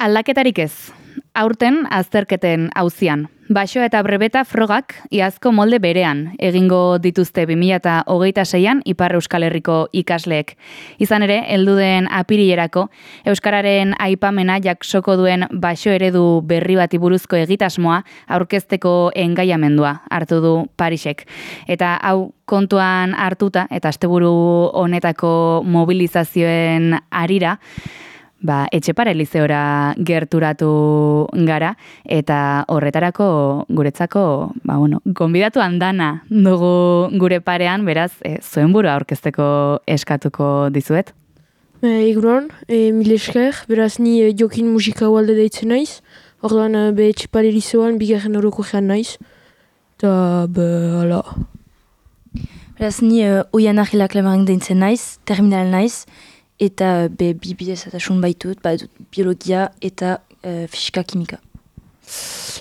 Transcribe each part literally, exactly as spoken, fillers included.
Aldaketarik ez. Aurten azterketen auzian. Baxo eta brebeta frogak iazko molde berean egingo dituzte bi mila hogeita seian Ipar Euskal Herriko ikasleek. Izan ere, heldu den apirilerako euskararen aipamena jaksoko duen baxo eredu berri bati buruzko egitasmoa aurkezteko engaiamendua hartu du Parisek. Eta hau kontuan hartuta eta asteburu honetako mobilizazioen harira, Ba, Etxepare Lizeora gerturatu gara eta horretarako guretzako, ba, bueno, gonbidatu handana dugu gure parean, beraz, e, zuen burua aurkezteko eskatuko dizuet. E, Egunon, e, mil esker, beraz ni e, jokin musika ualde deitzen naiz, orduan e, be Etxepare Lizeoan bigarren oroko gean naiz, eta be, hala. Beraz ni e, oian ahilak lemaren deitzen naiz, terminal naiz, eta be bi bidezatasun baitut, badut biologia eta e, fisika kimika.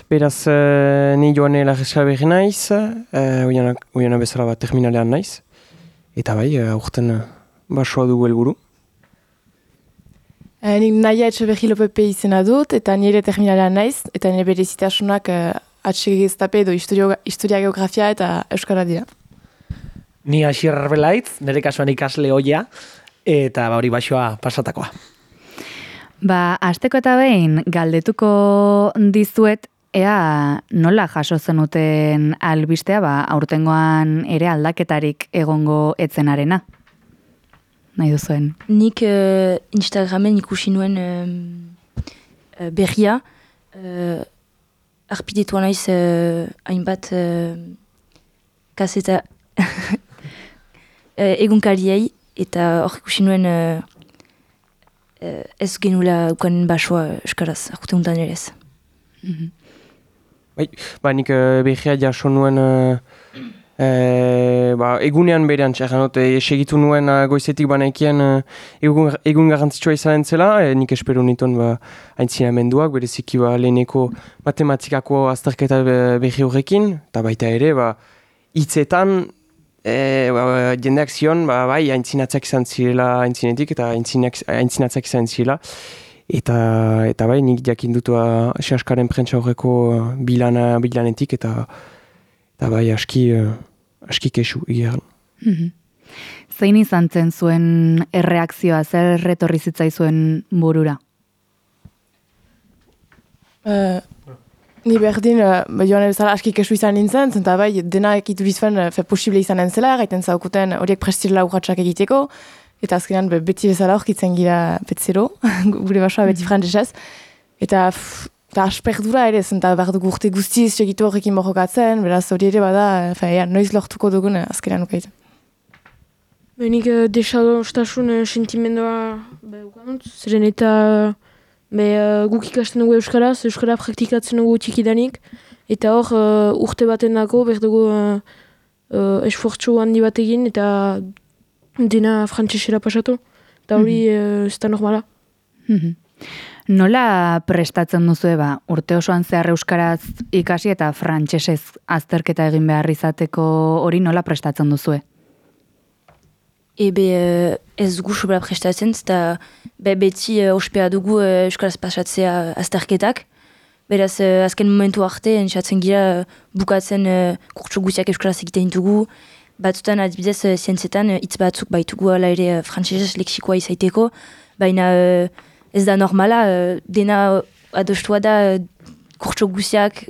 Beraz, uh, ni joane lagesa berri naiz, uh, oiana bezala bat terminalean naiz, eta bai, uh, urten uh, basoa dugu helburu. Uh, nik Naia Etxeberri Lopepe izena dut, eta nire terminalean naiz, eta nire berezitasunak uh, H G S T P edo historio, historia geografia eta euskara dira. Ni Asier Arbelaitz, nire kasuan ikasle hoia, eta ba hori baixoa pasatakoa. Ba, hasteko eta behin galdetuko dizuet, ea nola jaso zenuten albistea, ba, aurtengoan ere aldaketarik egongo etzenarena. Nahi duzuen. Nik uh, Instagramen ikusi nuen uh, berria, uh, arpidetua naiz uh, hainbat uh, kaseta uh, egunkariei, eta hor ikusi nuen uh, uh, ez genula ukanen basoa euskaraz, akute untan ere ez. Mm-hmm. Bai, ba, nik uh, behia jaso nuen uh, uh, ba, egunean berean txekan, uh, segitu nuen uh, goizetik banaikien uh, egun, egun garrantzitsua izanen zela, uh, nik espero nituen ba, aintzinamenduak, bereziki ba, leheneko matematikako azterketa behi horrekin, eta baita ere, ba, hitzetan, E, ba, jendeak zion, ba, bai, aintzinatzak izan zirela aintzinetik eta aintzinatzak izan zirela. Eta, eta bai, nik jakin dutu Seaskaren prentsa horreko bilana, bilanetik eta, eta bai, aski, aski kesu egeran. Mm-hmm. Zein izan zen zuen erreakzioa, zer retorri zitzaizuen burura? Uh, Ni berdin, uh, joan bezala aski kesu izan nintzen, zenta bai, dena ekitu bizuen uh, fe posible izanen zela, gaiten zaukuten horiek prestirela urratxak egiteko, eta azkenean be, beti bezala horkitzen gira betzero, gure basoa beti frantzesez, eta eta asperdura ere, zenta behar dugu urte guztiz segitu horrekin borrokatzen, beraz hori ere bada, fe, ja, noiz lortuko dugun uh, azkenean ukaiten. Benik uh, desadostasun uh, sentimendua behukanut, zeren eta Be, uh, guk ikasten dugu euskaraz, euskara praktikatzen dugu txikidanik, eta hor uh, urte baten dako, behar dugu uh, uh, esfortzu handi bat egin, eta dena frantzesera pasatu, eta hori mm-hmm. uh, ez da normala. Mm-hmm. Nola prestatzen duzu ba, urte osoan zehar euskaraz ikasi eta frantsesez azterketa egin behar izateko hori nola prestatzen duzue? Ebe ez dugu sobera prestatzen, eta be, beti uh, ospea dugu uh, euskaraz pasatzea azterketak. Beraz, uh, azken momentu arte, entzatzen gira uh, bukatzen uh, kurtso guziak euskaraz egiten dugu. Batzutan, adibidez, uh, zientzietan, hitz uh, batzuk baitugu ala ere uh, frantsesez leksikoa izaiteko. Baina uh, ez da normala, uh, dena adostua da uh, kurtso guziak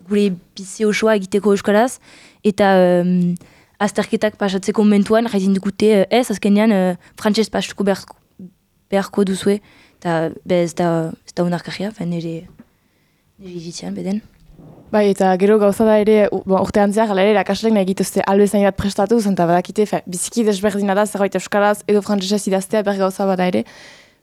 gure bizi osoa egiteko euskaraz. Eta um, azterketak pasatzeko momentuan, jaizin dukute ez, azkenean uh, frantses pastuko beharko, beharko duzue, eta ez da, da unarkarria, nire izitzean beden. Bai, eta gero gauza da ere, bon, urte antziak, ala ere, erakasleek nahi gituzte albezain bat prestatuz, eta badakite, fe, biziki desberdina da, zerbait euskaraz edo frantsesez idaztea ber gauza bada ere.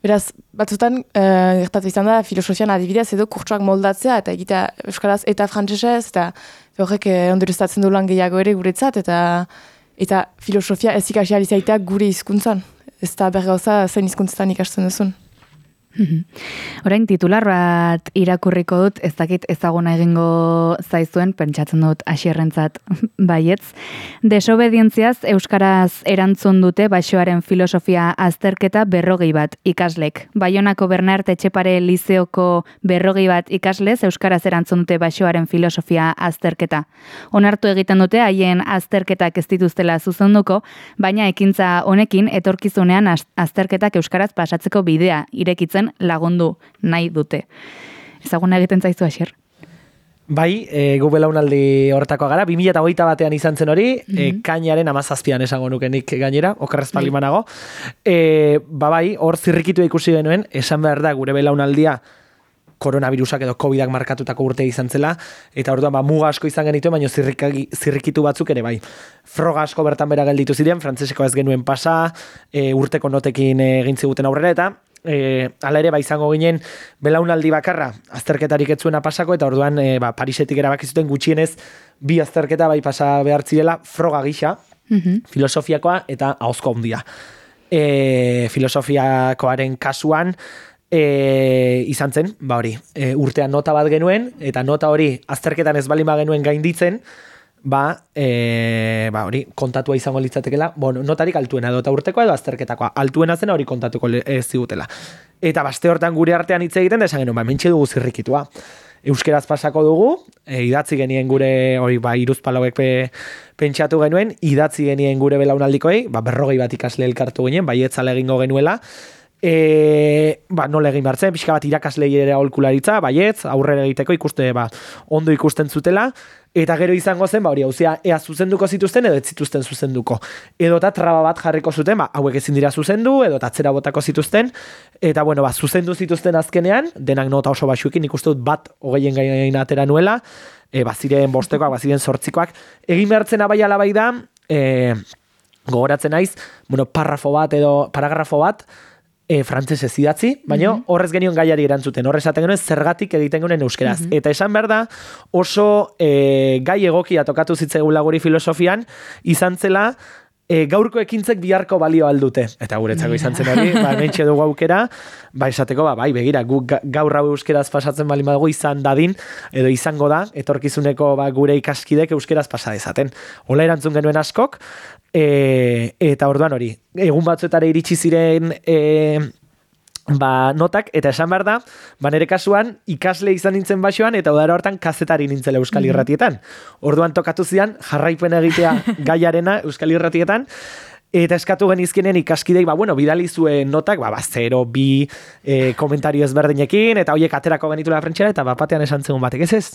Beraz, batzutan, uh, gertatu izan da, filosofian adibidez edo kurtsuak moldatzea, eta egitea euskaraz eta frantsesez, eta horrek eh, ondoreztatzen du lan gehiago ere guretzat, eta eta filosofia ez ikasi alizaitea gure hizkuntzan. Ez da bergauza zein hizkuntzetan ikasten duzun. Orain titular bat irakurriko dut, ez dakit ezaguna egingo zaizuen, pentsatzen dut Asierrentzat baietz. Desobedientziaz euskaraz erantzun dute Baixoaren filosofia azterketa berrogei bat ikaslek. Baionako Bernart Etxepare Lizeoko berrogei bat ikaslez euskaraz erantzun dute Baixoaren filosofia azterketa. Onartu egiten dute haien azterketak ez dituztela zuzenduko, baina ekintza honekin etorkizunean azterketak euskaraz pasatzeko bidea irekitzen lagundu nahi dute. Ezaguna egiten zaizu, Asier? Bai, e, gu belaunaldi horretakoa gara, bi mila hogeita batean izan zen hori, mm -hmm. e, kainaren amazazpian esango nukenik gainera, okerrez palimanago. E, ba bai, hor zirrikitu ikusi genuen, esan behar da gure belaunaldia koronavirusak edo covidak markatutako urte izan zela, eta orduan ba, muga asko izan genituen, baina zirrikitu batzuk ere bai. Froga asko bertan bera gelditu ziren, frantzeseko ez genuen pasa, e, urteko notekin egin ziguten aurrera, eta E, ala ere, ba, izango ginen belaunaldi bakarra azterketarik ez zuena pasako, eta orduan e, ba, Parisetik erabaki zuten gutxienez bi azterketa bai pasa behar zirela froga gisa, mm-hmm. filosofiakoa eta ahozko handia. E, filosofiakoaren kasuan e, izan zen, ba hori, e, urtean nota bat genuen, eta nota hori azterketan ez balima genuen gainditzen, ba, e, ba hori, kontatua izango litzatekela, bueno, notarik altuena edo eta urtekoa edo azterketakoa, altuena zena hori kontatuko ez zigutela. Eta baste hortan gure artean hitz egiten, da esan genuen, ba, mentxe dugu zirrikitua. Euskeraz pasako dugu, e, idatzi genien gure, hori, ba, iruzpalauek pe, pentsatu genuen, idatzi genien gure belaunaldikoei, ba, berrogei bat ikasle elkartu ginen, baietzala egingo genuela, E, ba, nola egin behar zen, pixka bat irakaslei ere aholkularitza, baietz, aurrera egiteko ikuste, ba, ondo ikusten zutela, eta gero izango zen, ba, hori, hauzia, ea zuzenduko zituzten edo ez zituzten zuzenduko. Edo eta traba bat jarriko zuten, ba, hauek ezin dira zuzendu, edo eta atzera botako zituzten, eta, bueno, ba, zuzendu zituzten azkenean, denak nota oso basuekin ikuste dut bat hogeien gaina atera nuela, e, baziren bostekoak, baziren sortzikoak, egin behartzen abai alabai da, e, gogoratzen naiz, bueno, parrafo bat edo paragrafo bat, E, frantzesez idatzi, baina mm-hmm. horrez genion gaiari erantzuten, horrez esaten genuen zergatik egiten genuen euskeraz. Mm-hmm. Eta esan behar da, oso e, gai egokia tokatu zitzaigula guri filosofian, izan zela e, gaurko ekintzek biharko balio aldute. Eta guretzako izan zen hori, ba, mentxe dugu aukera, ba, esateko, ba, bai, begira, gu, gaur hau euskeraz pasatzen bali madugu izan dadin, edo izango da, etorkizuneko ba, gure ikaskidek euskeraz pasa dezaten. Hola erantzun genuen askok, E, eta orduan hori, egun batzuetara iritsi ziren e, ba, notak, eta esan behar da, ba, nire kasuan ikasle izan nintzen Baixoan, eta udara hortan kazetari nintzela Euskal Irratietan. Orduan tokatu zian, jarraipen egitea gaiarena Euskal Irratietan, eta eskatu genizkenen ikaskidei, ba, bueno, bidali zuen notak, ba, ba, zero, bi e, komentario ezberdinekin, eta hoiek aterako genitula prentxera, eta bapatean esan zegoen batek, ez ez?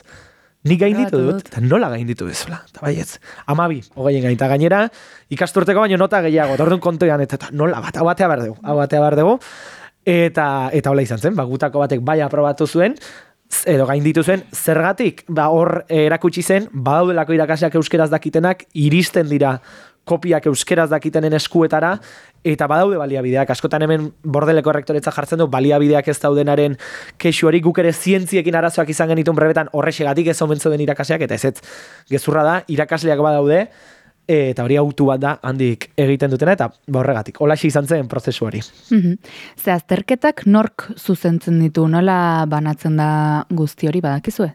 Nik gainditu dut, eta nola gainditu bezala, eta baietz, amabi, hogeien gainita gainera, ikasturteko baino nota gehiago, eta orduan kontoean, eta nola bat, hau batea behar dugu, hau batea behar dugu, eta, eta hola izan zen, ba, gutako batek bai aprobatu zuen, edo gainditu zuen, zergatik, ba, hor erakutsi zen, badaudelako irakasleak euskeraz dakitenak, iristen dira kopiak euskeraz dakitenen eskuetara, eta badaude baliabideak. Askotan hemen bordeleko errektoretza jartzen du, baliabideak ez daudenaren kexu hori, guk ere zientziekin arazoak izan genitun brebetan horrexegatik ez omentzo den irakasleak, eta ez ez, gezurra da, irakasleak badaude, eta hori autu bat da handik egiten dutena, eta horregatik, holaxe izan zen prozesu hori. Mm-hmm. Ze azterketak nork zuzentzen ditu, nola banatzen da guzti hori badakizue?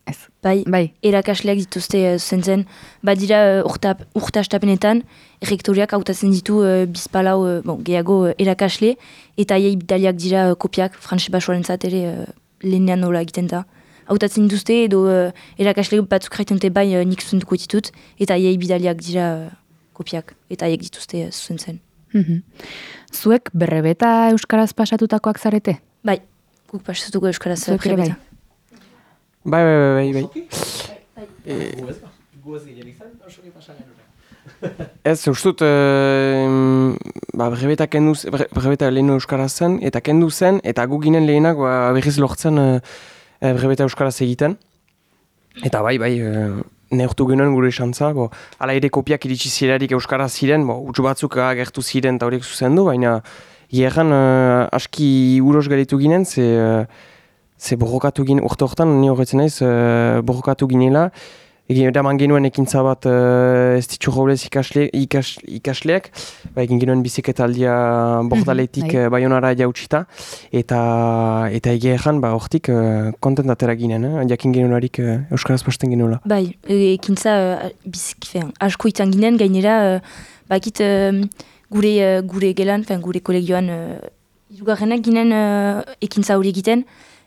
Ez. Bai, bai, erakasleak dituzte uh, zentzen, badira uh, urte astapenetan, errektoriak hautatzen ditu uh, bizpalau uh, bon, gehiago uh, erakasle, eta aiei bidaliak dira uh, kopiak, Frantses Baixoaren zat ere uh, lehenean nola egiten da. Hautatzen dituzte, edo uh, erakasle batzuk raiten dute bai uh, nik zuzentuko ditut, eta aiei bidaliak dira uh, kopiak, eta aiek dituzte uh, zuzentzen. Mm-hmm. Zuek berrebeta euskaraz pasatutakoak zarete? Bai, guk pasatuko euskaraz uh, berrebeta. Bai, bai, bai, bai, bai. Ez, ustut, ba, brebeta kendu, brebeta lehen euskaraz zen, eta kendu zen, eta gu ginen lehenak ba, berriz lortzen brebeta euskaraz egiten. Eta bai, bai, neurtu genuen gure esantza, bo, ala ere kopiak iritsi zirarik euskaraz ziren, bo, utsu batzuk agertu ziren eta horiek zuzendu, baina hierran aski uros garitu ginen, ze... Ze borrokatu ginen, urte horretan, ni horretzen naiz, uh, borrokatu ginela, Egin eraman genuen ekintza bat uh, ez ditxu roblez ikasle, ikas, ikasleak, ba, egin genuen biziketaldia bordaletik mm-hmm, uh, Baionara jautsita, eta eta egia ezan, ba, hortik uh, kontentatera ginen, eh? Jakin genuelarik uh, Euskaraz pasten genuela. Bai, ekintza uh, biziki, fean, asko izan ginen, gainera, uh, bakit uh, gure, uh, gure gelan, fean, gure kolegioan, uh, irugarrenak ginen uh, ekintza hori egiten,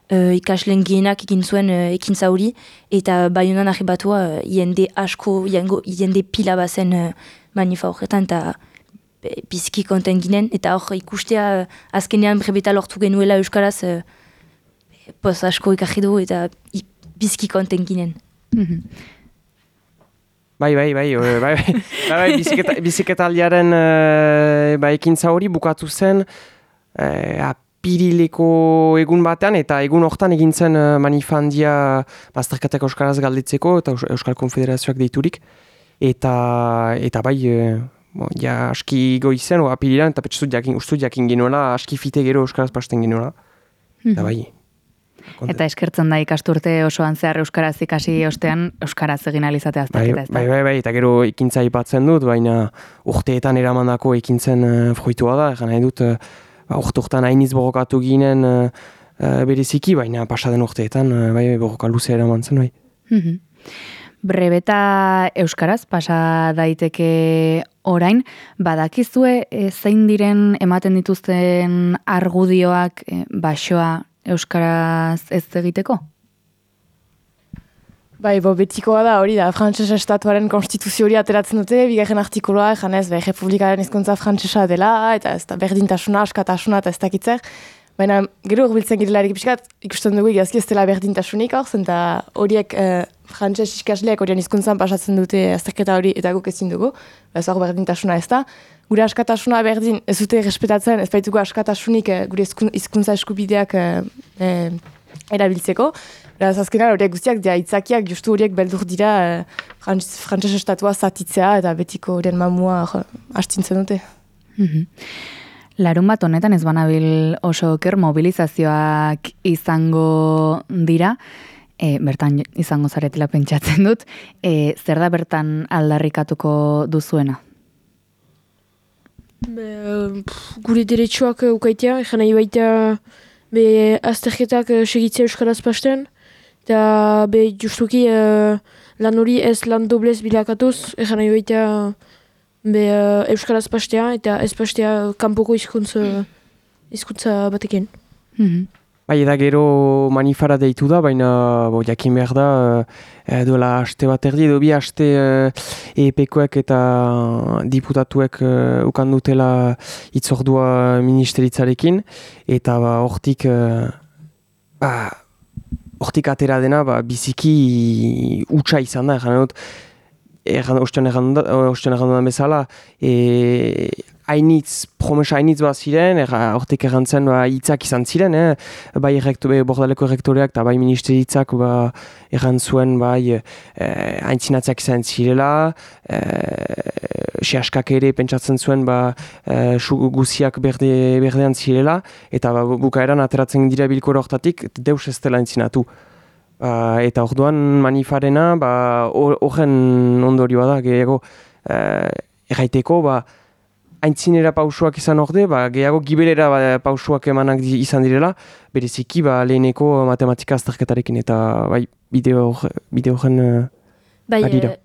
Uh, ikasleen gehienak egin zuen uh, ekintza hori, eta Baionan arribatua uh, jende asko, jende pila bazen uh, manifa horretan, eta biziki konten ginen, eta hor ikustea uh, azkenean brebeta lortu genuela Euskaraz, uh, poz asko ikarri du, eta biziki konten ginen. Mm-hmm. Bai, bai, bai, bai, bai, bai, bai biziketa, biziketaldiaren uh, ba, ekintza hori bukatu zen, uh, Pirileko egun batean, eta egun hortan egin zen uh, manifandia bazterketak Euskaraz galdetzeko, eta Euskal Konfederazioak deiturik. Eta, eta bai, uh, bon, ja aski goizen, oa pirilan, eta petxuzut jakin, ustut jakin genuela, aski fite gero Euskaraz pasten genuela. Eta bai. Konten. Eta eskertzen da ikasturte osoan zehar Euskaraz ikasi ostean, Euskaraz egin alizatea azterketa ez da. Bai, bai, bai, eta gero ekintza ipatzen dut, baina urteetan eramandako ekintzen uh, fruitua da, egan nahi dut, uh, Ba, urte-urtean hainiz borrokatu ginen uh, uh, bereziki, baina pasaden urteetan uh, bai, borroka luzea eraman zen, bai. Mm-hmm. Brebeta Euskaraz pasa daiteke orain, badakizue e, zein diren ematen dituzten argudioak e, basoa Euskaraz ez egiteko? Bai, bo, betikoa da, hori da, frantzesa estatuaren konstituzio hori ateratzen dute, bigarren artikuloa, janez, bai, republikaren hizkuntza frantzesa dela, eta ez da berdintasuna, askatasuna, eta ez dakitzer. Baina, gero urbiltzen girelarik pixkat, ikusten dugu igazki ez dela berdintasunik hor, zenta horiek eh, frantzes ikasleak horien hizkuntzan pasatzen dute azterketa hori eta guk ezin dugu, ez hor berdintasuna ez da. Gure askatasuna berdin ez dute respetatzen, ez baitugu askatasunik eh, gure hizkuntza eskubideak eh, eh, erabiltzeko. Beraz, azkenan horiek guztiak dira itzakiak, justu horiek beldur dira eh, frantzes estatua zatitzea eta betiko horien mamua hastintzen dute. Mm-hmm. Larun bat honetan ez banabil oso oker mobilizazioak izango dira, e, bertan izango zaretela pentsatzen dut, e, zer da bertan aldarrikatuko duzuena? Be, pff, gure deretsuak ukaitea, egan nahi baita be, azterketak segitzea Euskaraz pasten, eta be, justuki uh, lan hori ez lan doblez bilakatuz, egan nahi baita be, uh, Euskaraz pastea, eta ez pastea kanpoko hizkuntza hizkuntza batekin. Mm-hmm. Bai, eda gero manifara deitu da, baina bo, jakin behar da, e, duela aste bat erdi, edo bi aste e, epekoek eta diputatuek e, ukan dutela itzordua ministeritzarekin, eta ba, hortik, e, ba, hortik atera dena ba, biziki utxa izan da, egan dut, ostean egan dudan bezala, e, hainitz, promesa hainitz bat ziren, hortik errantzen ba, hitzak izan ziren, eh? Bai errektu, be, bordaleko errektoreak eta bai ministeritzak ba, errantzuen bai, eh, haintzinatziak izan zirela, eh, sehaskak ere pentsatzen zuen ba, eh, guziak berde, berdean zirela, eta ba, bukaeran ateratzen dira bilkoro hortatik, deus ez dela haintzinatu. Ba, eta orduan manifarena horren ba, ondorioa da, gehiago eh, erraiteko, ba, haintzinera pausuak izan orde, ba, gehiago gibelera ba, pausuak emanak di, izan direla, bereziki ba, leheneko matematika azterketarekin, eta bai, bideo horren uh, bai,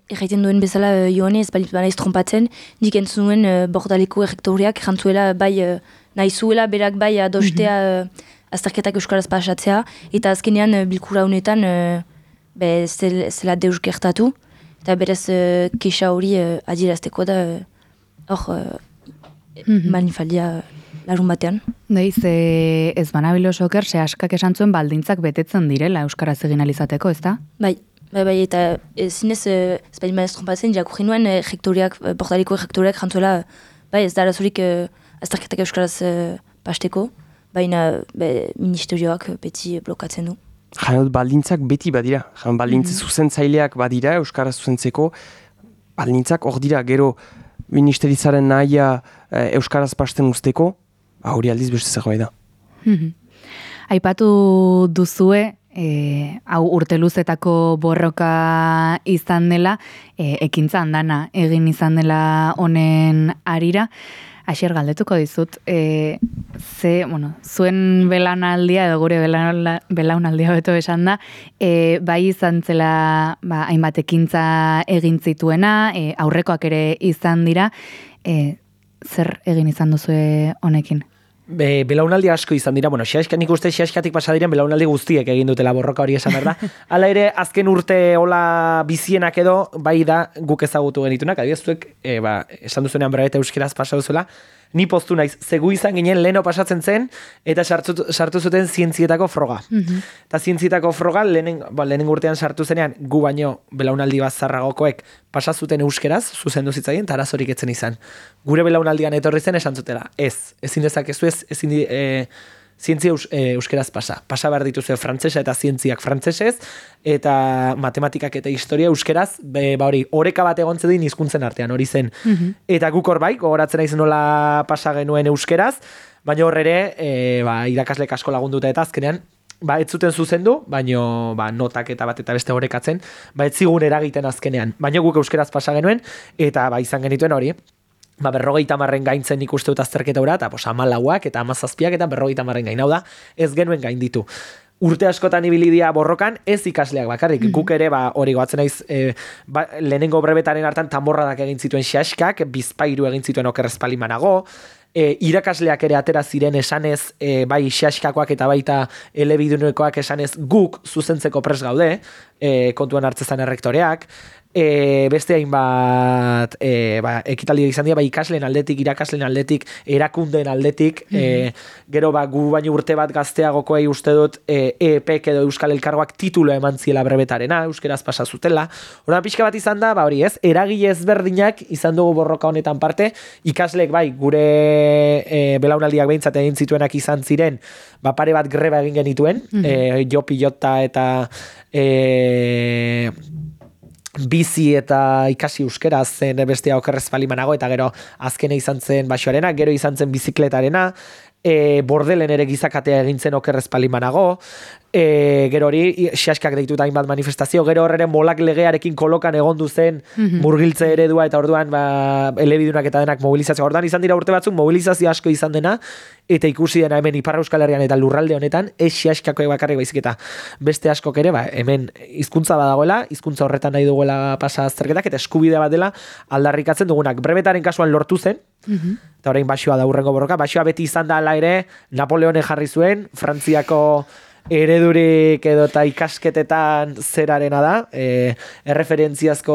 erraiten duen bezala uh, joanez, bai, naiz trompatzen, nik entzun nuen uh, bordaleko errektoreak, jantzuela bai, uh, nahi zuela berak bai adostea uh, azterketak euskaraz pasatzea, eta azkenean uh, bilkura honetan uh, be, zel, zela deus gertatu, eta berez uh, kexa hori uh, adierazteko da hor uh, mm-hmm. manifaldia larun batean. Deiz, e, ez banabilo soker, se askak esan zuen baldintzak betetzen direla euskaraz egin alizateko, ez da? Bai, bai, bai, eta e, zinez, e, ez bain maez trompatzen, jakurri nuen e, rektoriak, e, portaliko rektoriak jantzuela, bai, ez da arazurik e, azterketak euskaraz e, pasteko, baina be, ministerioak beti blokatzen du. Janot, baldintzak beti badira. Jan, baldintze mm-hmm. zuzentzaileak badira, euskaraz zuzentzeko, baldintzak hor dira, gero ministeritzaren nahia e, euskaraz pasten usteko, hori aldiz beste zegoa da. Mm-hmm. Aipatu duzue, e, hau urte luzetako borroka izan dela, e, ekintza handana egin izan dela honen arira. Asier, galdetuko dizut, e, ze, bueno, zuen belaunaldia edo gure belaunaldia beto esan da, e, bai izan zela ba, hainbat ekintza egin zituena, e, aurrekoak ere izan dira, e, zer egin izan duzue honekin? Be, belaunaldi asko izan dira, bueno, xaxka nik uste xaxkatik pasa diren belaunaldi guztiek egin dutela borroka hori esan behar da. Hala ere, azken urte hola bizienak edo, bai da guk ezagutu genitunak, adibidez zuek, e, ba, esan duzunean berabete euskeraz pasa duzuela, ni postu naiz, zegu izan ginen leheno pasatzen zen, eta sartu, sartu zuten zientzietako froga. Mm-hmm. Eta zientzietako froga, lehenen, ba, lehenen urtean sartu zenean, gu baino belaunaldi bat zarragokoek pasazuten euskeraz, zuzendu zitzaien, eta arazorik etzen izan. Gure belaunaldian etorri zen esan zutela, ez, ezin dezakezu ez, ezin di, e, zientzia eus, e, euskeraz pasa. Pasa behar dituzue frantsesa eta zientziak frantsesez, eta matematikak eta historia euskeraz, be, ba hori, oreka bat egon zedin hizkuntzen artean, hori zen. Mm-hmm. Eta guk hor bai, gogoratzen naiz nola pasa genuen euskeraz, baina hor ere, e, ba, irakaslek asko lagunduta eta azkenean, ba, ez zuten zuzendu, baino ba, notak eta bat eta beste orekatzen, ba, ez zigun eragiten azkenean. Baina guk euskeraz pasa genuen, eta ba, izan genituen hori, ba, berrogeita marren gaintzen ikuste dut azterketa ura, eta pos, amalauak eta amazazpiak eta berrogeita marren gain. Hau da, ez genuen gain ditu. Urte askotan ibilidia borrokan, ez ikasleak bakarrik. Mm-hmm. Guk ere, ba, hori goatzen naiz, e, ba, lehenengo brebetaren hartan tamborradak egin zituen xaskak, bizpairu egin zituen okerrezpalimanago, e, irakasleak ere atera ziren esanez, e, bai xaskakoak eta baita elebidunekoak esanez guk zuzentzeko pres gaude, e, kontuan hartzezan errektoreak, E, beste hainbat e, ba, ekitaldi izan dira, ba, ikasleen aldetik, irakasleen aldetik, erakundeen aldetik, mm-hmm. e, gero ba, gu baino urte bat gazteagokoei uste dut e, E P K edo Euskal Elkargoak titulo eman ziela brebetarena, euskeraz pasa zutela. Horren pixka bat izan da, ba, hori ez, eragile ezberdinak izan dugu borroka honetan parte, ikasleek bai, gure e, belaunaldiak behintzat egin zituenak izan ziren, ba, pare bat greba egin genituen, mm-hmm. e, jo pilota eta e, bizi eta ikasi euskeraz zen bestea okerrez palimanago, eta gero azkene izan zen basoarena, gero izan zen bizikletarena, e, bordelen ere gizakatea egin zen okerrez palimanago, e, gero hori xaskak deitu da hainbat manifestazio, gero horreren molak legearekin kolokan egondu zen mm-hmm. murgiltze eredua, eta orduan ba, elebidunak eta denak mobilizazio. Orduan izan dira urte batzuk mobilizazio asko izan dena, eta ikusi dena hemen Ipar Euskal Herrian eta lurralde honetan, ez xaskako bakarrik baizik eta beste askok ere, ba, hemen hizkuntza badagoela, hizkuntza horretan nahi duguela pasa azterketak, eta eskubide bat dela aldarrikatzen dugunak. Brebetaren kasuan lortu zen, mm-hmm. eta orain basoa da urrengo borroka, basoa beti izan da ala ere, Napoleone jarri zuen, Frantziako eredurik edo eta ikasketetan zerarena da, e, erreferentziazko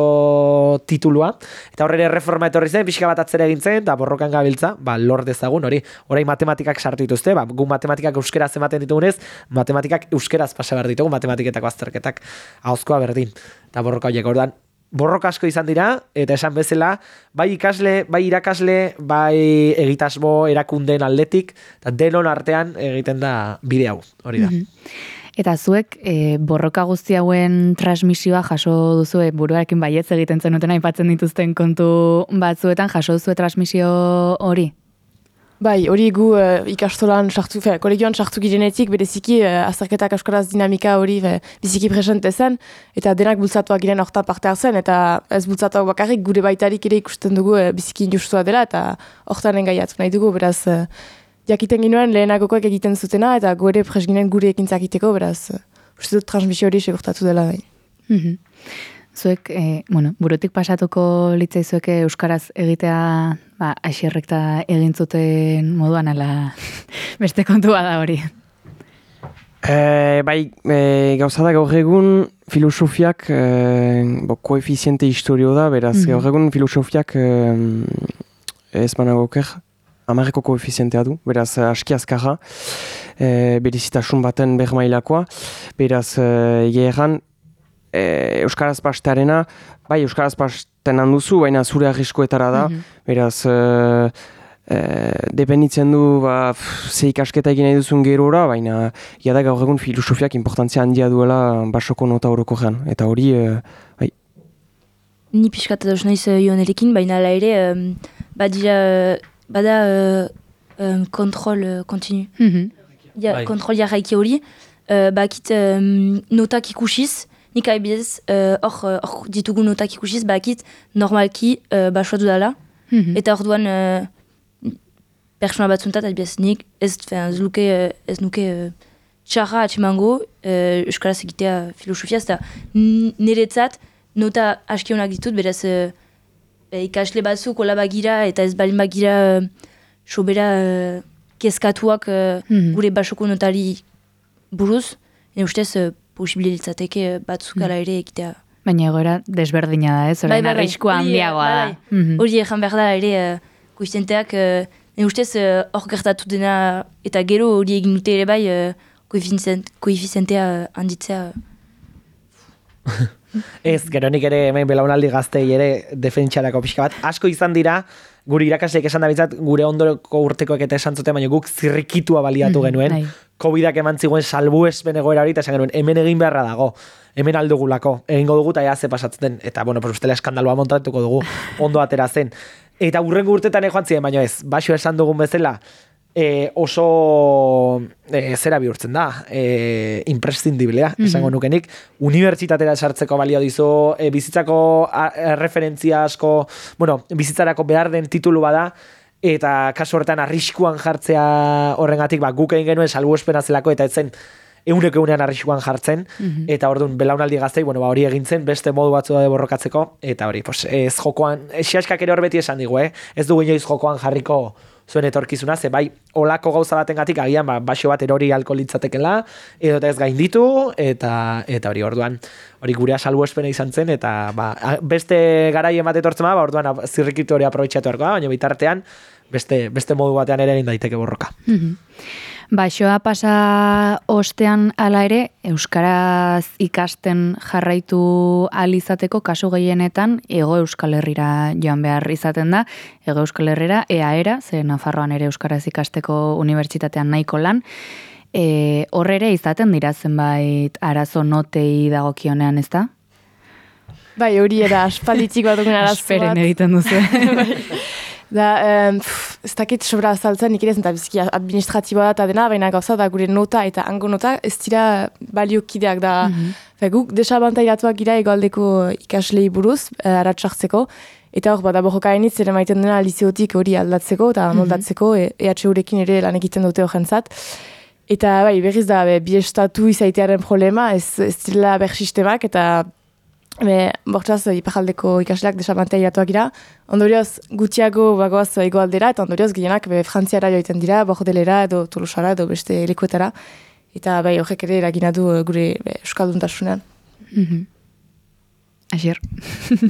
titulua, eta horre erreforma etorri zen, pixka bat atzera egin zen, eta borrokan gabiltza, ba, lor dezagun, hori, orain matematikak sartu dituzte, ba, gu matematikak euskeraz ematen ditugunez, matematikak euskeraz pasa behar ditugu, matematiketako azterketak ahozkoa berdin, eta borroka horiek, ordan, borroka asko izan dira, eta esan bezala, bai ikasle, bai irakasle, bai egitasmo erakundeen aldetik, eta denon artean egiten da bide hau, hori da. Mm-hmm. Eta zuek, e, borroka guzti hauen transmisioa jaso duzue, buruarekin baietz egiten zenuten aipatzen dituzten kontu batzuetan, jaso duzue transmisio hori? Bai, hori gu uh, ikastolan sartu, fe, kolegioan sartu girenetik, bereziki uh, azterketak euskaraz dinamika hori fe, biziki presente zen, eta denak bultzatuak giren hortan parte hartzen, eta ez bultzatuak bakarrik gure baitarik ere ikusten dugu uh, biziki injustua dela, eta hortan engaiatu nahi dugu, beraz, uh, jakiten ginoen lehenagokoek egiten zutena, eta gure pres ginen gure ekintzak egiteko, beraz, uh, uste dut transmisio hori segurtatu dela. Bai. Mm-hmm. Zuek, e, bueno, burutik pasatuko litzaizueke euskaraz egitea, ba, Asierrek eta egin zuten moduan, ala beste kontua da hori. E, bai, e, gauza da gaur egun filosofiak e, bo, koefiziente historio da, beraz, mm-hmm. gaur egun filosofiak e, ez managoker, amarreko koefizientea du, beraz, aski azkarra, e, berizitasun baten bermailakoa, beraz, e, egeran, E, euskaraz pastearena, bai, euskaraz pasten handuzu, baina zure arriskoetara da, mm-hmm. beraz, e, e, dependitzen du, ba, pff, ze ikasketa egin nahi duzun gerora, baina, jada gaur egun filosofiak importantzia handia duela basoko nota horoko gean, eta hori, e, bai. Ni pixkat dauz nahiz joanerekin, baina ala ere, um, badira, bada uh, um, kontrol uh, kontinu. Mm-hmm. Ja, bai. Kontrol jarraiki hori, uh, bakit um, notak ikusiz, nik aibidez, hor uh, uh, ditugu notak ikusiz, bakit normalki uh, basoa dudala, mm-hmm. eta hor duan uh, persona batzuntat, aibidez, nik ez, fin, ez, luke, uh, ez nuke uh, txarra atximango, uh, euskaraz egitea filosofia, eta niretzat nota askionak ditut, beraz uh, ikasle batzuk ola bagira, eta ez balin bagira uh, sobera uh, kezkatuak uh, mm-hmm. gure basoko notari buruz, ne ustez uh, posibilitzateke batzuk ala ere egitea. Baina egoera desberdina da, ez? Orain arriskua handiagoa da. Hori egan behar da ere uh, koizenteak, uh, ne ustez hor uh, gertatu dena, eta gero hori egin dute ere bai uh, koefizientea uh, handitzea. Ez, gero nik ere hemen belaunaldi gaztei ere defentsarako pixka bat. Asko izan dira, gure irakasleek esan da bitzat, gure ondoko urtekoek eta esan zuten, baina guk zirrikitua baliatu mm, genuen. Ai. Covidak eman ziguen salbuespen egoera hori, eta esan genuen, hemen egin beharra dago, hemen aldugulako, egingo dugu eta ea ze pasatzen, eta bueno, pues ustela eskandalua montatuko dugu, ondo atera zen. Eta urrengo urtetan joan ziren, baina ez, basio esan dugun bezala, E, oso e, zera bihurtzen da, e, imprescindiblea, mm-hmm. esango nukenik, unibertsitatera sartzeko balio dizu, e, bizitzako a, a, referentzia asko, bueno, bizitzarako behar den titulu bada, eta kasu horretan arriskuan jartzea horrengatik, ba, guk egin genuen salbuespena zelako, eta etzen euneko eunean arriskuan jartzen, mm-hmm. eta orduan belaunaldi gaztei, bueno, ba, hori egintzen, beste modu batzu da borrokatzeko, eta hori, pues, ez jokoan, xaskak ere hor beti esan digu, eh? Ez dugu inoiz jokoan jarriko zuen etorkizuna, ze bai, olako gauza batengatik agian, ba, basio bat erori alko litzatekela, edo ez gainditu, eta eta hori orduan, hori gurea salbuespena izan zen, eta ba, beste garaien bat etortzen ba, orduan zirrikitu hori aprobetxatu erko da, baina bitartean, beste, beste modu batean ere egin daiteke borroka. Mm-hmm. Baixoa pasa ostean hala ere, euskaraz ikasten jarraitu ahal izateko kasu gehienetan Hego Euskal Herrira joan behar izaten da. Hego Euskal Herrira, E A era, ze Nafarroan ere euskaraz ikasteko unibertsitatean nahiko lan. E, horre izaten dira zenbait arazo notei dagokionean, ez da? Bai, hori era aspalditik bat dugun arazo bat. Asperen egiten duzu. Da, um, pff, ez dakit sobra azaltzen, nik ere zen, eta biziki administratiboa da eta dena, baina gauza da gure nota eta hango nota ez dira baliokideak da. Mm-hmm. Guk desabantairatuak gira egoaldeko ikaslei buruz, uh, aratsartzeko, eta hor, bada borrokainitz ere maiten dena lizeotik hori aldatzeko eta moldatzeko, mm-hmm. E H U-rekin ere lan egiten dute horrentzat. Eta bai, berriz da, be, bi estatu izaitearen problema, ez, ez dira ber sistemak, eta Be, bortzaz, iparaldeko ikasleak desabantairatuak gira. Ondorioz, gutxiago bagoaz egoaldera, eta ondorioz, gehienak be, frantziara joiten dira, Bordelera edo Tolosara edo beste lekuetara. Eta bai, horrek ere eragina du gure be, euskalduntasunean. Mm-hmm. Asier.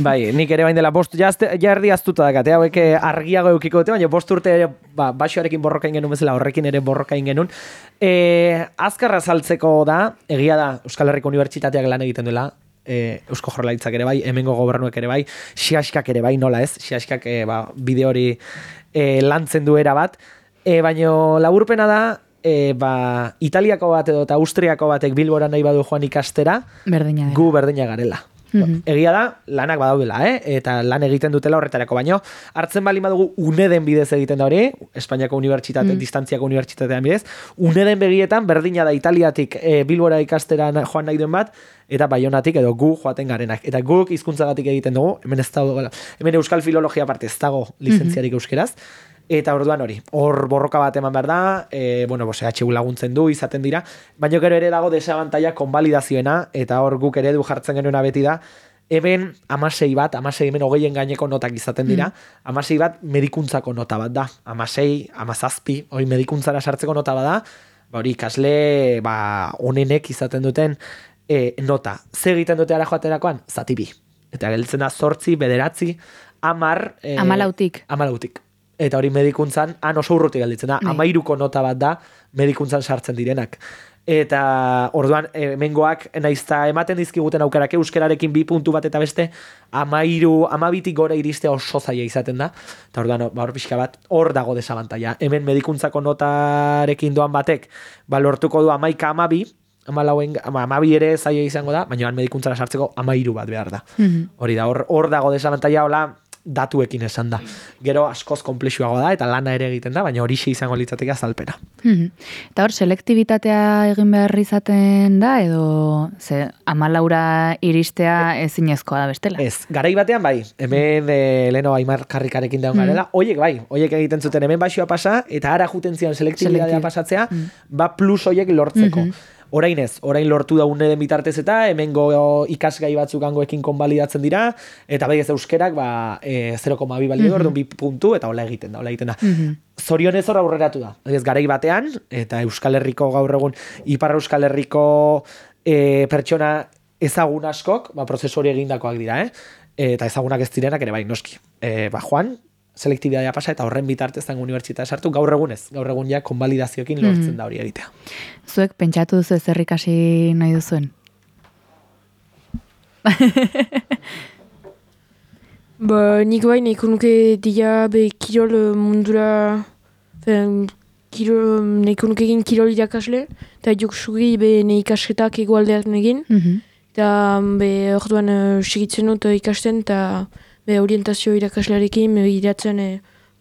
Bai, nik ere bain dela bost, jardi aztuta dakate, hauek argiago eukiko dute, baina bost urte ere, ba, basoarekin borrokain genuen bezala, horrekin ere borrokain genuen. E, azkarra saltzeko da, egia da, Euskal Herriko Unibertsitateak lan egiten duela, E, Eusko Jaurlaritzak ere bai, hemengo gobernuek ere bai, siaskak ere bai, nola ez, siaskak e, ba, bide hori e, lantzen duera bat, e, baina laburpena da, e, ba, Italiako bat edo eta Austriako batek Bilbora nahi badu joan ikastera, berdina gu berdina garela. Mm-hmm. Egia da, lanak badaudela, eh? Eta lan egiten dutela horretarako, baino hartzen bali badugu UNEDen bidez egiten da hori, Espainiako unibertsitate, mm. distantziako unibertsitatean bidez, UNEDen begietan berdina da Italiatik e, Bilbora ikastera joan nahi duen bat, eta Baionatik edo gu joaten garenak. Eta guk hizkuntzagatik egiten dugu, hemen ez dago, hemen euskal filologia parte ez dago lizentziarik mm-hmm. euskeraz, eta orduan hori, hor borroka bat eman behar da, e, bueno, bose, H U laguntzen du, izaten dira, baina gero ere dago desabantaia konbalidazioena, eta hor guk ere du jartzen genuena beti da, hemen amasei bat, amasei hemen hogeien gaineko notak izaten dira, mm. amasei bat medikuntzako nota bat da, amasei, amazazpi, hori medikuntzara sartzeko nota bat da, ba hori ikasle, ba, onenek izaten duten e, nota. Zer egiten dute ara joaterakoan? Zati bi. Eta gelditzen da zortzi, bederatzi, amar... E, amalautik. Amalautik. Eta hori medikuntzan, han oso urrutik galditzen da, amairuko nota bat da medikuntzan sartzen direnak. Eta orduan, hemengoak naizta ematen dizkiguten aukerak euskerarekin bi puntu bat eta beste, amairu, amabitik gora iristea oso zaila izaten da. Eta orduan, ba, hor pixka bat, hor dago desabantaia. Hemen medikuntzako notarekin doan batek, ba, lortuko du amaika amabi, amalauen, amabi ere zaila izango da, baina medikuntzara sartzeko amairu bat behar da. Mm-hmm. Hori da, hor, hor dago desabantaia, hola, datuekin esan da. Gero askoz komplexuagoa da, eta lana ere egiten da, baina horixe izango litzateke azalpena. Mhm. Eta hor, selektibitatea egin behar izaten da, edo ze, amalaura iristea ezinezkoa da bestela? Ez, garai batean bai, hemen e, leheno Aimar Karrikarekin daun garela, hoiek bai, hoiek egiten zuten hemen baxioa pasa, eta ara juten zion selektibitatea pasatzea, ba plus hoiek lortzeko. Orain ez, orain lortu da une den bitartez eta hemengo ikasgai batzuk hangoekin konbalidatzen dira, eta bai ez euskerak ba, e, zero koma bi balio orduan bi puntu, eta hola egiten da, hola egiten da. Zorionez hor aurreratu da. Ez garai batean, eta Euskal Herriko gaur egun, Ipar Euskal Herriko e, pertsona ezagun askok, ba, prozesu hori egindakoak dira, eh? Eta ezagunak ez direnak ere bai, noski. E, ba, Juan, selektibitatea pasa eta horren bitartez zango unibertsitatea sartu, gaur egunez, gaur egun ja konbalidazioekin lortzen da hori egitea. Zuek pentsatu duzu ezer ikasi nahi duzuen? Ba, nik bai nahiko nuke dira be kirol mundura, fen, kirol, nahiko nuke egin kirol irakasle, eta joksugi be ne ikasketak egualdean egin, eta be orduan uh, segitzen dut ikasten, eta be orientazio irakaslearekin, iratzen e,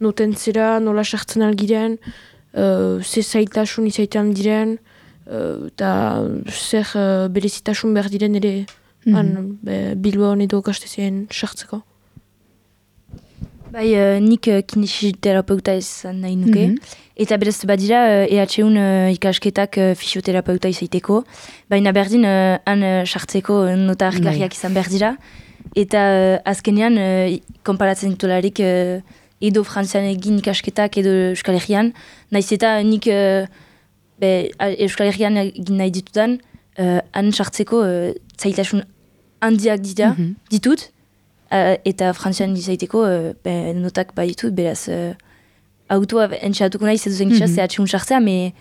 noten zera, nola sartzen algiren, uh, ze zailtasun izaitan diren, eta uh, zer uh, berezitasun behar diren ere mm-hmm. han, be, Bilbaon edo gaztezien sartzeko. Bai, uh, nik uh, kinesiterapeuta izan nahi nuke, mm-hmm. eta berez badira uh, E H un uh, ikasketak uh, fisioterapeuta izaiteko, baina berdin uh, han uh, sartzeko nota argigarriak izan behar dira, eta uh, azkenean, uh, konparatzen ditularik uh, edo frantzian egin ikasketak edo Euskal Herrian, nahiz eta nik uh, be, Euskal Herrian egin nahi ditudan, uh, han sartzeko uh, zailtasun handiak dira, mm-hmm. ditut, uh, eta frantzian izaiteko uh, be, notak baditut, beraz, uh, autoa entxatuko nahi zeduzen gisa, mm-hmm. zehatxun sartzea, me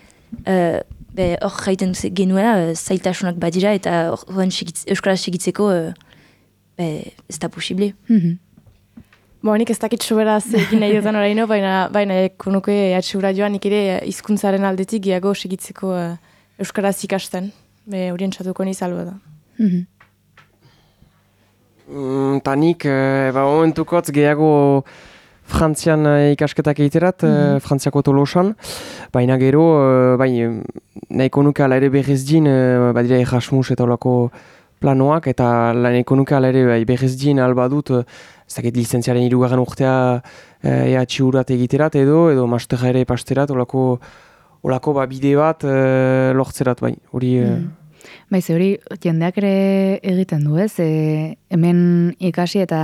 uh, hor jaiten genuela uh, zailtasunak badira, eta hor Euskaraz segitzeko uh, Be, ez da posible. Mm-hmm. Bo, nik ez dakit soberaz egin nahi dutan oraino, baina, baina konuke atxura joan nik ere hizkuntzaren aldetik gehiago segitzeko uh, Euskaraz ikasten. Be, horien txatuko niz alba da. Mm-hmm. Mm, ta nik, e, ba, momentukotz gehiago Frantzian ikasketak egiterat, mm-hmm. Frantziako Tolosan, baina gero, bai, nahiko nuke ala ere berrez din, badira Erasmus eta olako planoak, eta nahiko nuke ala ere bai, berrez din alba dut, ez dakit lizentziaren hirugarren urtea E H urat egiterat edo, edo masterra ere pasterat, olako, olako ba, bide bat e, lortzerat, bai, hori... Mm. Bai, ze hori jendeak ere egiten du, ez? E, hemen ikasi eta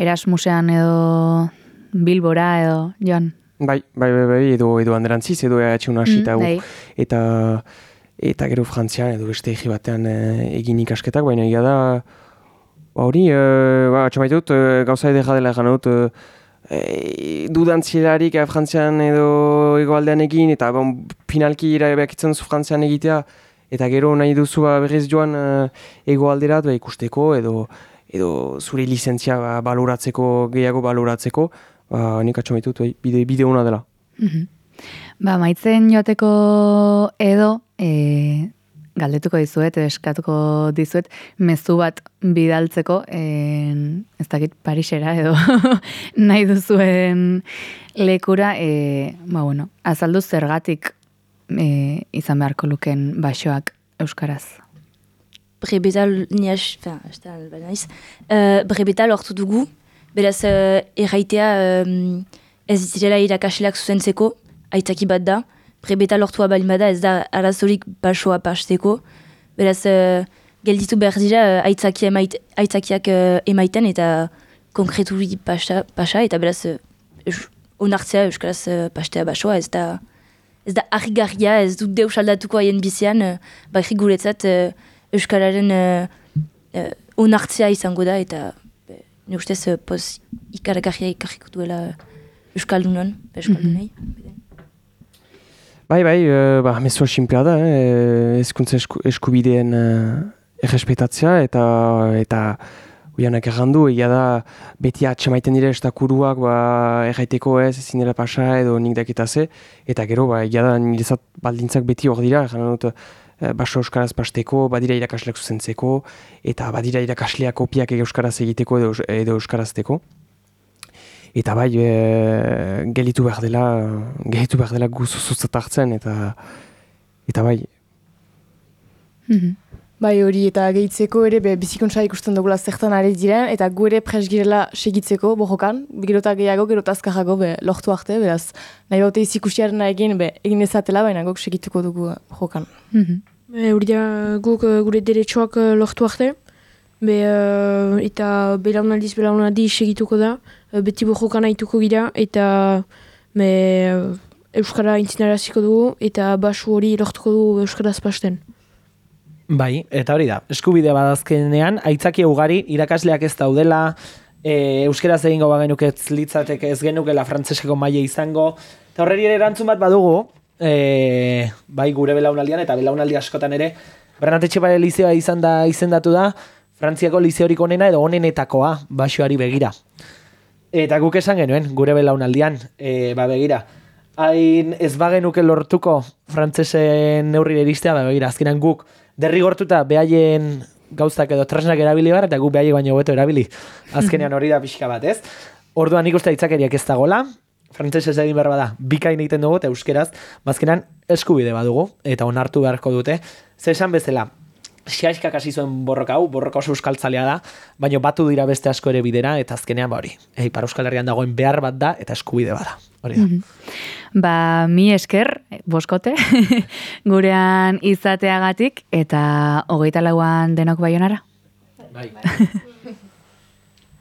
Erasmusean edo Bilbora edo joan. Bai, bai, bai, bai, edo, edo anderantziz, edo E H un hasi eta mm, eta eta gero Frantzian edo beste egi batean e, egin ikasketak, baina egia da ba, hori, e, ba, txamaite dut, e, gauza edera dela egan dut, e, dudantzielarik e, Frantzian edo egoaldean egin, eta bon, finalki erabeakitzen zu Frantzian egitea, eta gero nahi duzu ba, berriz joan e, egoalderat ba, ikusteko, edo edo zure lizentzia ba, baloratzeko, gehiago baloratzeko, ba, nik atxamaitu dut, bide, bide hona dela. Mm-hmm. Ba, maitzen joateko edo, e, galdetuko dizuet, eskatuko dizuet, mezu bat bidaltzeko, e, ez dakit Parisera edo nahi duzuen lekura, e, ba, bueno, azaldu zergatik e, izan beharko luken basoak euskaraz. Brebetal, niaz, fin, ez da, naiz, uh, brebetal hortu dugu, beraz, uh, erraitea um, ez direla irakasleak zuzentzeko, aitzaki bat da, brebetal hortua balin bada ez da arazorik basoa pasteko, beraz, uh, gelditu behar dira uh, aitzaki emait, aitzakiak uh, emaiten eta konkreturi pasa, pasa eta beraz, uh, onartzea euskaraz uh, pastea basoa, ez da, ez da argigarria, ez dut deus aldatuko haien bizian, uh, bakri guretzat, uh, Euskararen uh, uh, onartzea izango da, eta uh, ne ustez uh, poz ikaragarria ikarriko duela Euskaldunan, Euskaldunai. Mm-hmm. Bai, bai, uh, ba, mezua simplea da, eh? Ezkuntza esku, eskubideen uh, errespetatzea, eta eta uianak errandu, egia da beti atxamaiten dira estakuruak ba, erraiteko ez, ezin dela pasa edo nik dakitaze, eta gero, ba, egia da nirezat baldintzak beti hor dira, erran dut, baso euskaraz pasteko, badira irakasleak zuzentzeko, eta badira irakasleak kopiak euskaraz egiteko edo, edo euskarazteko. eta bai, e, gelitu behar dela, gelitu behar dela guzuzutzat hartzen, eta, eta bai. Mhm. Bai hori eta gehitzeko ere be, bizikuntza ikusten dugula zertan ari diren eta gu ere pres girela segitzeko bojokan, gerota gehiago, gerota azkarrago be, lortu arte, beraz nahi baute izikusiaren egin, be, egin ezatela, baina guk segituko dugu bojokan. Mhm. Be, hori da guk uh, gure deretsuak uh, lortu arte, be, uh, eta belaunaldiz belaunaldi segituko da, uh, beti bojokan haituko gira, eta be, uh, Euskara intzinaraziko dugu, eta basu hori lortuko dugu Euskaraz pasten. Bai, eta hori da, eskubide badazkenean, aitzaki ugari, irakasleak ez daudela, e, euskeraz egingo bagenuke ez litzateke ez genukela frantseseko maila izango, eta horreri ere erantzun bat badugu, e, bai gure belaunaldian eta belaunaldi askotan ere, Bernat Etxepare Lizeoa izan da izendatu da, Frantziako lizeorik onena edo onenetakoa basoari begira. Eta guk esan genuen, gure belaunaldian, e, ba begira, hain ez bagenuke lortuko frantsesen neurrire iristea, ba begira, azkenan guk, derrigortuta behaien gauzak edo tresnak erabili behar, eta gu behaiek baino hobeto erabili. Azkenean hori da pixka bat, ez? Orduan nik uste aitzakeriak ez dagola, frantsesez egin behar bada, bikain egiten dugu, eta euskeraz, bazkenan eskubide badugu, eta onartu beharko dute. Ze esan bezala, Xiaxkak hasi zuen borroka hau, borroka oso euskaltzalea da, baina batu dira beste asko ere bidera, eta azkenean ba hori. Ipar Euskal Herrian dagoen behar bat da, eta eskubide bada. Hori da. Ba, mi esker, boskote, gurean izateagatik, eta hogeita lauan denok Baionara. Bai.